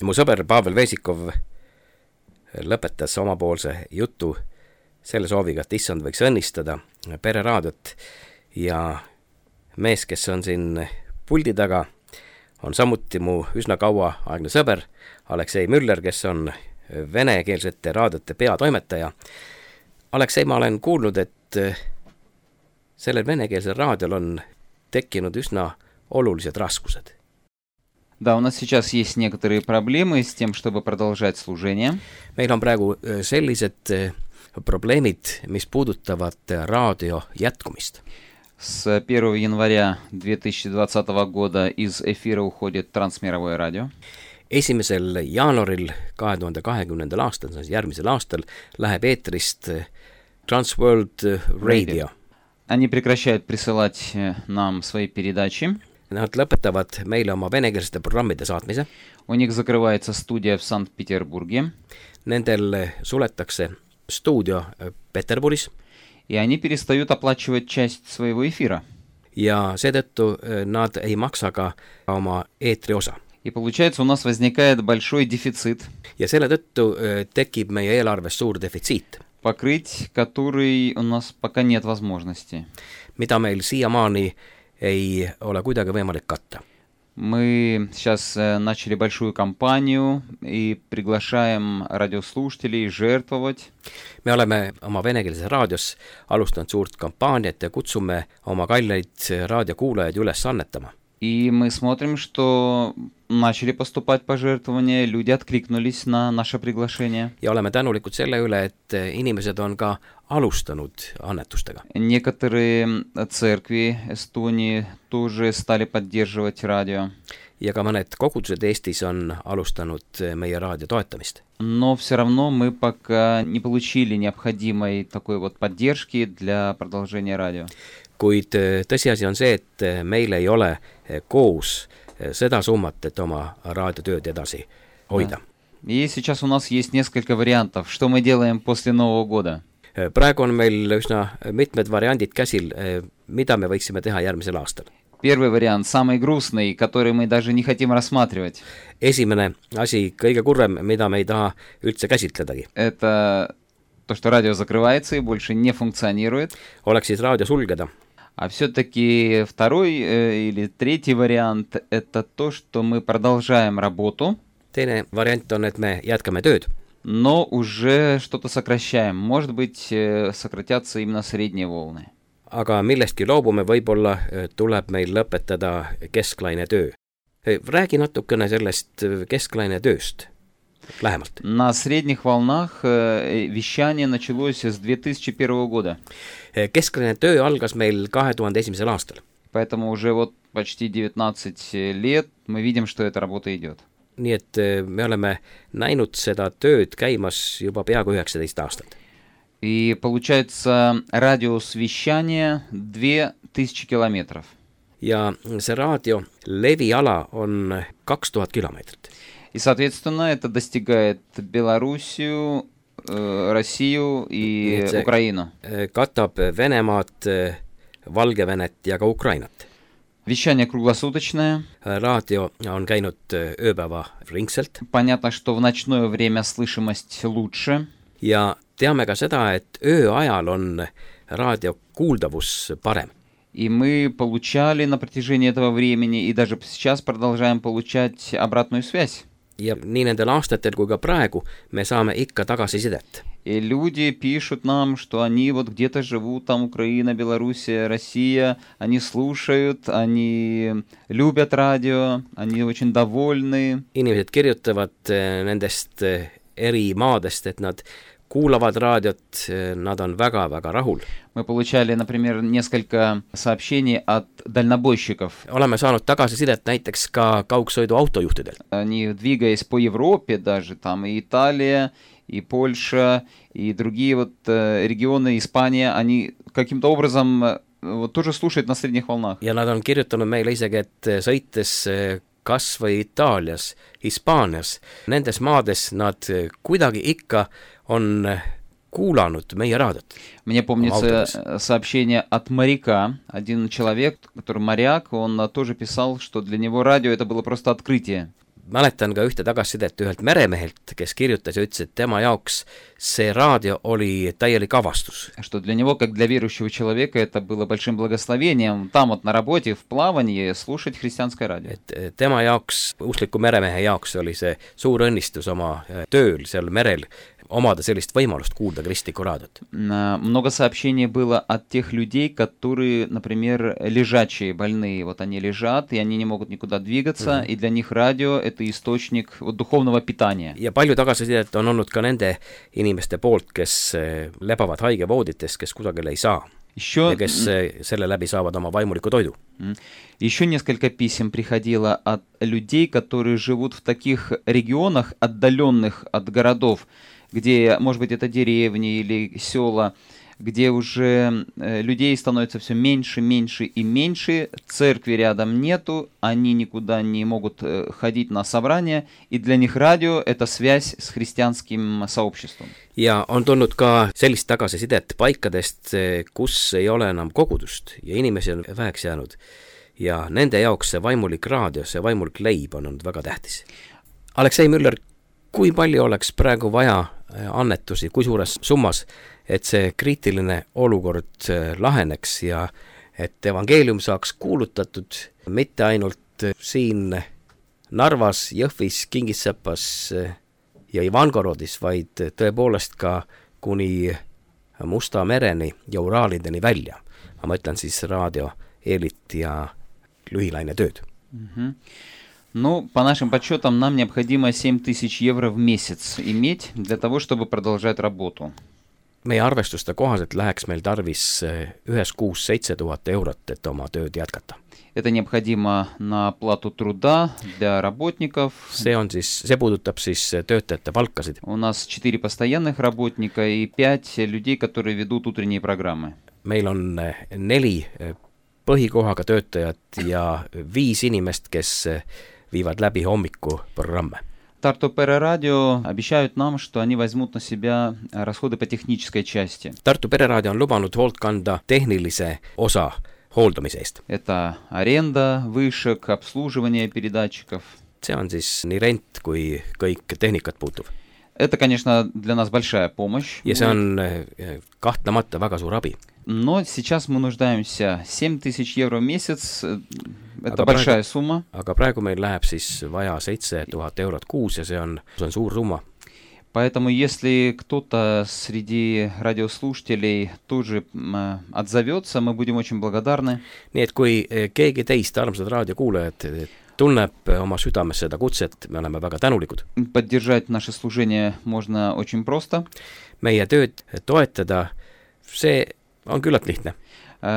A: Mu sõber Pavel Vesikov lõpetas omapoolse jutu selle sooviga, et issand võiks õnnistada pereraadiot ja mees, kes on siin puldi taga, on samuti mu üsna kaua aegne sõber Aleksei Müller, kes on venekeelsete raadiote peatoimetaja. Aleksei, ma olen kuulnud, et sellel venekeelsel raadiol on tekkinud üsna olulised raskused.
C: Да, у нас сейчас есть некоторые проблемы с тем, чтобы продолжать служение.
A: Meil on praegu sellised probleemid, mis puudutavad raadio jätkumist.
C: С первого января две тысячи двадцатого года из эфира уходит трансмировое радио.
A: esimesel jaanuaril kahe tuhande kahekümnendal aastal, järgmisel aastal, läheb eetrist Transworld Radio.
C: Они прекращают присылать нам свои передачи.
A: Nad lõpetavad meile oma venekeelsete programmide saatmise.
C: У них закрывается студия в Санкт-Петербурге.
A: Nendel suletakse stuudio Peterburis.
C: И они перестают оплачивать часть своего эфира.
A: Ja seetõttu nad ei maksa ka oma eetri osa.
C: И получается, у нас возникает большой дефицит.
A: Ja selle tõttu tekib meie eelarves suur defitsiit.
C: Покрыть который у нас пока нет возможности.
A: Mida meil siiamaani ei ole kuidagi võimalik katta.
C: Мы сейчас начали большую кампанию и приглашаем радиослушателей жертвовать.
A: Me oleme oma venekeelses raadios alustanud suurt kampaaniat ja kutsume oma kalleid raadiokuulajaid üles annetama.
C: И мы смотрим, что начали поступать пожертвования, люди откликнулись на наше приглашение.
A: Ja oleme tänulikud selle üle, et inimesed on ka alustanud annetustega.
C: Некоторые церкви Эстонии тоже стали поддерживать радио.
A: ja ka mõned kogudused Eestis on alustanud meie raadio toetamist.
C: Но все равно мы пока не получили необходимой такой вот поддержки для продолжения радио.
A: Kuid tõsiasi on see, et meil ei ole koos seda summat, et oma raadiotööd edasi hoida.
C: И сейчас у нас есть несколько вариантов, что мы делаем после Нового года.
A: Praegu on meil üsna mitmed variandid käsil, mida me võiksime teha järgmisel aastal.
C: Первый вариант, самый грустный, который мы даже не хотим рассматривать.
A: Esimene asi, kõige kurvem, mida me ei taha üldse käsitledagi.
C: Это то, что радио закрывается и больше не функционирует.
A: Oleks siis raadio sulgeda.
C: А все-таки второй э, или третий вариант – это то, что мы продолжаем работу.
A: Teine variant on, et me jätkame tööd.
C: Но уже что-то сокращаем. Может быть, э, сократятся именно средние волны.
A: Aga millestki loobume, võib-olla tuleb meil lõpetada kesklaine töö. Räägi natukene sellest kesklaine tööst lähemalt.
C: На средних волнах э, вещание началось с две тысячи первого года.
A: Kesklaine töö algas meil kahe tuhande esimesel aastal.
C: Поэтому уже вот почти девятнадцать лет мы видим, что эта работа идет.
A: Nii et me oleme näinud seda tööd käimas juba peaaegu üheksateist aastat.
C: И получается радиус вещания две тысячи километров.
A: Ja see raadio leviala on kaks tuhat kilomeetrit.
C: И, соответственно, это достигает Белоруссию, э, Россию и Украину.
A: Katab Venemaad, Valgevenet ja ka Ukrainat.
C: Вещание круглосуточное.
A: Raadio on käinud ööpäeva ringselt.
C: Понятно, что в ночное время слышимость лучше.
A: Ja teame ka seda, et ööajal on raadio kuuldavus parem.
C: И мы получали на протяжении этого времени, и даже сейчас продолжаем получать обратную связь.
A: Ja nii nendel aastatel kui ka praegu me saame ikka tagasisidet.
C: И люди пишут нам, что они вот где-то живут, там Украина, Белоруссия, Россия, они слушают, они любят радио, они очень довольны.
A: Inimesed kirjutavad nendest eri maadest, et nad kuulavad raadiot, nad on väga-väga rahul.
C: Мы получали, например, несколько сообщений от дальнобойщиков.
A: Oleme saanud tagasisidet näiteks ka kaugsõidu autojuhtidelt.
C: Они, двигаясь по Европе даже, там и Италия, и Польша, и другие вот э, регионы, Испания, они каким-то образом э, вот, тоже слушают на средних волнах.
A: Ja nad on kirjutanud meile isegi, et sõites kas või Itaalias, Hispaanias, nendes maades nad kuidagi ikka on kuulanud meie raadiot.
C: Мне помнится сообщение от моряка. Один человек, который моряк, он тоже писал, что для него радио это было просто открытие.
A: Mäletan ka ühte tagasisidet ühelt meremehelt, kes kirjutas ja ütles, et tema jaoks see raadio oli täielik avastus.
C: Что для него, как для верующего человека, это было большим благословением там вот на работе, в плавании, слушать христианское радио.
A: Et tema jaoks, uskliku meremehe jaoks oli see suur õnnistus oma tööl seal merel omada sellist võimalust kuulda kristlikku raadiot.
C: Много сообщений было от тех людей, которые, например, лежачие, больные. Вот они лежат, и они не могут никуда двигаться, mm-hmm. и для них радио – это источник вот, духовного питания.
A: Ja palju tagasisidet on olnud ka nende inimeste poolt, kes lebavad haigevoodites, kes kusagil ei saa. Еще... ja kes selle läbi saavad oma vaimuliku toidu.
C: Еще несколько писем приходило от людей, которые живут в таких регионах, отдаленных от городов, где, может быть, это деревни или села, где уже э, людей становится все меньше, меньше и меньше, церкви рядом нету, они никуда не могут э, ходить на собрания, и для них радио – это связь с христианским сообществом.
A: Ja on tulnud ka sellist tagasisidet paikadest, kus ei ole enam kogudust ja inimesi on väheks jäänud. Ja nende jaoks see vaimulik raadio, see vaimulik leib on olnud väga tähtis. Aleksei Müller, kui palju oleks praegu vaja annetusi, kui suures summas, et see kriitiline olukord laheneks ja et evangeelium saaks kuulutatud mitte ainult siin Narvas, Jõhvis, Kingissepas ja Ivangorodis, vaid tõepoolest ka kuni Musta mereni ja Uraalideni välja. Ma mõtlen siis raadio, eelit ja lühilaine tööd.
C: Mm-hmm. Ну, по нашим подсчетам, нам необходимо семь тысяч евро в месяц иметь для того, чтобы продолжать работу.
A: Meie arvestuste kohaselt läheks meil tarvis ühes kuus seitse tuhat eurot, et oma tööd jätkata.
C: Это необходимо на оплату труда для работников.
A: see on siis, see puudutab siis töötajate palkasid.
C: У нас четыре постоянных работника и пять людей, которые ведут утренние программы.
A: Meil on neli põhikohaga töötajat ja viis inimest, kes viivad läbi hommikuprogramme.
C: Tartu Pereraadio обещают нам, что они возьмут на себя расходы по технической части.
A: Tartu Pereraadio on lubanud hoolt kanda tehnilise osa hooldamise eest.
C: Это аренда вышек, обслуживание передатчиков.
A: See on siis nii rent kui kõik tehnikat puutuv.
C: Это, конечно, для нас большая помощь.
A: Ja see on kahtlemata väga suur abi.
C: Но сейчас мы нуждаемся семь тысяч евро в месяц. Это
A: aga
C: большая
A: praegu,
C: сумма.
A: Aga praegu meil läheb siis vaja seitse tuhat eurot kuus ja see on, see on suur summa.
C: Поэтому, если кто-то среди радиослушателей тоже отзовется, мы будем очень благодарны.
A: Nii et kui keegi teist, armsad raadiokuulajad, tunneb oma südames seda kutset, me oleme väga tänulikud.
C: Поддержать наше служение можно очень просто.
A: Meie tööd toetada, see on küllalt lihtne.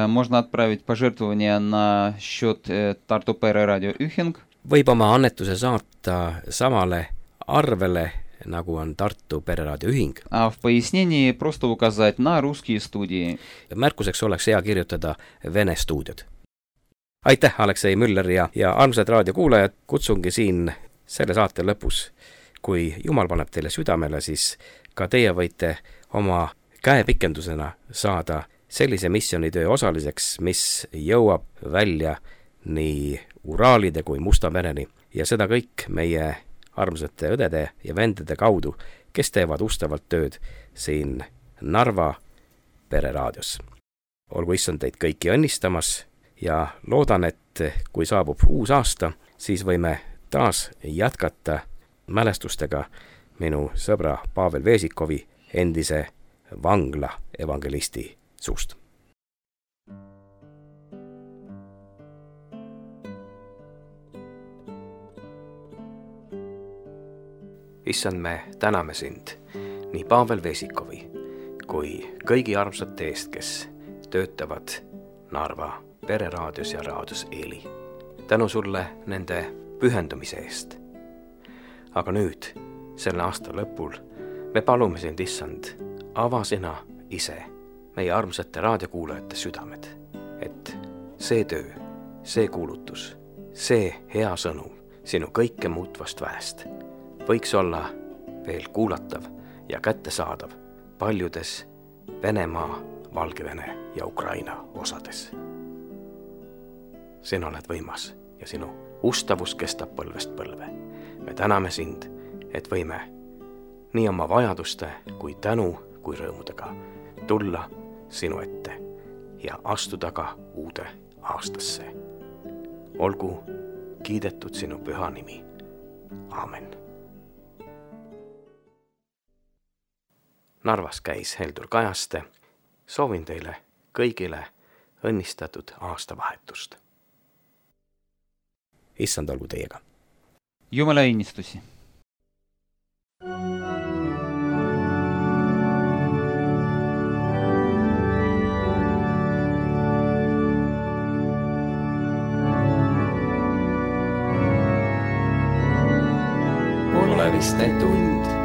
C: Можно отправить пожертвования на счет Tartu Pereraadio ühing.
A: Võib oma annetuse saata samale arvele, nagu on Tartu Pereraadio ühing.
C: А в пояснении просто указать на русские студии.
A: Märkuseks oleks hea kirjutada Vene stuudiod. Aitäh, Aleksei Müller ja, ja armsad raadiokuulajad, kutsungi siin selle saate lõpus. Kui Jumal paneb teile südamele, siis ka teie võite oma käepikendusena saada sellise missioonitöö osaliseks, mis jõuab välja nii Uraalide kui Musta mereni. Ja seda kõik meie armsate õdede ja vendede kaudu, kes teevad ustavalt tööd siin Narva Pereraadios. Olgu issand teid kõiki õnnistamas ja loodan, et kui saabub uus aasta, siis võime taas jätkata mälestustega minu sõbra Pavel Vesikovi endise vangla evangelisti suust. Issand, me täname sind nii Pavel Vesikovi kui kõigi armsate eest, kes töötavad Narva Pereraadios ja raadios Eeli. Tänu sulle nende pühendumise eest. Aga nüüd, selle aasta lõpul, me palume sind, issand, ava sina ise meie armsate raadiokuulajate südamed, et see töö, see kuulutus, see hea sõnum sinu kõike muutvast väest võiks olla veel kuulatav ja kättesaadav paljudes Venemaa, Valgevene ja Ukraina osades. Sina oled võimas ja sinu ustavus kestab põlvest põlve. Me täname sind, et võime nii oma vajaduste kui tänu kui rõõmudega tulla sinu ette ja astuda ka uude aastasse. Olgu kiidetud sinu püha nimi. Aamen. Narvas käis Heldur Kajaste. Soovin teile kõigile õnnistatud aastavahetust. Issand olgu teiega.
C: Jumala õnnistusi.
A: Poleviste tund.